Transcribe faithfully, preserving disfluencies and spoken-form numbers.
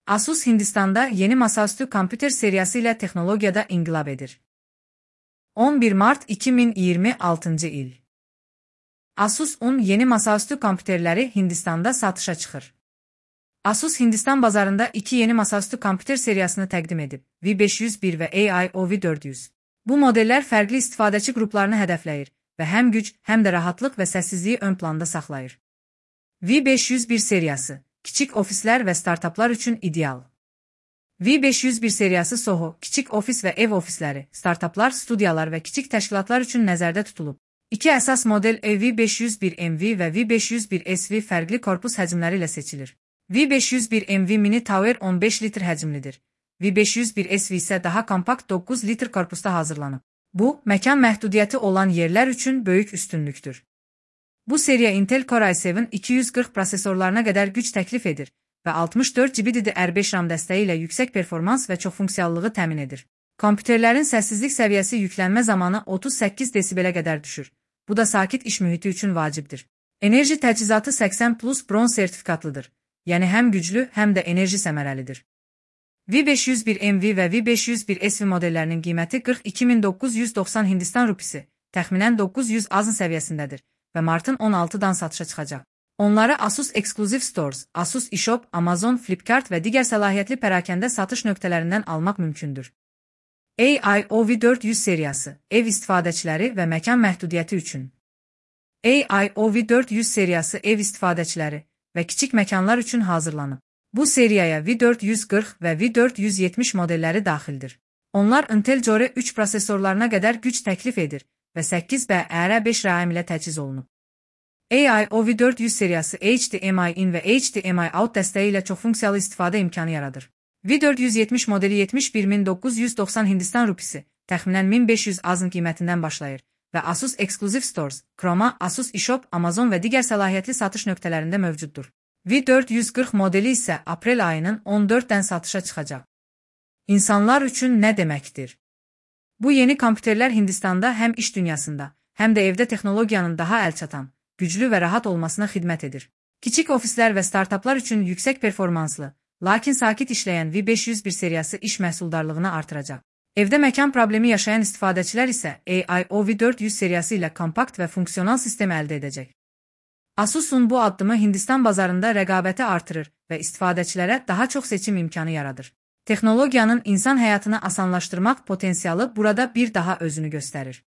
Asus Hindistan'da yeni masaüstü kompüter serisi ile teknolojide inqilab edir. on bir Mart iki bin iyirmi altıncı il. Asus on yeni masaüstü kompüterləri Hindistan'da satışa çıxır. Asus Hindistan bazarında iki yeni masaüstü kompüter seriyasını təqdim edib, V beş yüz bir və A I O V dörd yüz. Bu modellər fərqli istifadəçi qruplarını hədəfləyir və həm güc, həm də rahatlıq və səssizliyi ön planda saxlayır. V beş yüz bir seriyası, kiçik ofislər və startaplar üçün ideal. V beş yüz bir seriyası Soho, kiçik ofis və ev ofisləri, startaplar, studiyalar və kiçik təşkilatlar üçün nəzərdə tutulub. İki əsas model V beş yüz bir M V və V beş yüz bir S V fərqli korpus həcmləri ilə seçilir. V beş yüz bir M V Mini Tower on beş litr həcmlidir. V beş yüz bir S V isə daha kompakt doqquz litr korpusda hazırlanıb. Bu, məkan məhdudiyyəti olan yerlər üçün böyük üstünlükdür. Bu seriya Intel Core i seven iki yüz qırx prosesorlarına qədər güc təklif edir və altmış dörd giqabayt D D R beş RAM dəstəyi ilə yüksək performans və çoxfunksiyallığı təmin edir. Kompüterlərin səssizlik səviyyəsi yüklənmə zamanı otuz səkkiz desibelə qədər düşür. Bu da sakit iş mühiti üçün vacibdir. Enerji təchizatı səksən plus bronz sertifikatlıdır. Yəni həm güclü, həm də enerji səmərəlidir. V beş yüz bir M V və V beş yüz bir S V modellərinin qiyməti qırx iki min doqquz yüz doxsan Hindistan rupisi, təxminən doqquz yüz azın səviyyəsindədir və martın on altıdan satışa çıxacaq. Onları Asus Exclusive Stores, Asus eShop, Amazon, Flipkart və digər səlahiyyətli pərakəndə satış nöqtələrindən almaq mümkündür. A I O V dörd yüz seriyası, ev istifadəçiləri və məkan məhdudiyyəti üçün. A I O V dörd yüz seriyası ev istifadəçiləri və kiçik məkanlar üçün hazırlanıb. Bu seriyaya V dörd yüz qırx və V dörd yüz yetmiş modelləri daxildir. Onlar Intel Core üç prosesorlarına qədər güc təklif edir və səkkiz B R beş RAM ilə təchiz olunub. A I O V dörd yüz seriyası H D M I in və H D M I out dəstəyi ilə çoxfunksiyalı istifadə imkanı yaradır. V dörd yüz yetmiş modeli yetmiş bir min doqquz yüz doxsan Hindistan rupisi, təxminən min beş yüz azın qiymətindən başlayır və Asus Exclusive Stores, Chroma, Asus eShop, Amazon və digər səlahiyyətli satış nöqtələrində mövcuddur. V dörd yüz qırx modeli isə aprel ayının on dördündən satışa çıxacaq. İnsanlar üçün nə deməkdir? Bu yeni kompüterlər Hindistanda həm iş dünyasında, həm də evdə texnologiyanın daha əlçatan, güclü və rahat olmasına xidmət edir. Kiçik ofislər və startaplar üçün yüksək performanslı, lakin sakit işləyən V beş yüz bir seriyası iş məhsuldarlığını artıracaq. Evdə məkan problemi yaşayan istifadəçilər isə A I O V dörd yüz seriyası ilə kompakt və funksional sistem əldə edəcək. Asus'un bu addımı Hindistan bazarında rəqabəti artırır və istifadəçilərə daha çox seçim imkanı yaradır. Texnologiyanın insan həyatını asanlaşdırmaq potensialı burada bir daha özünü göstərir.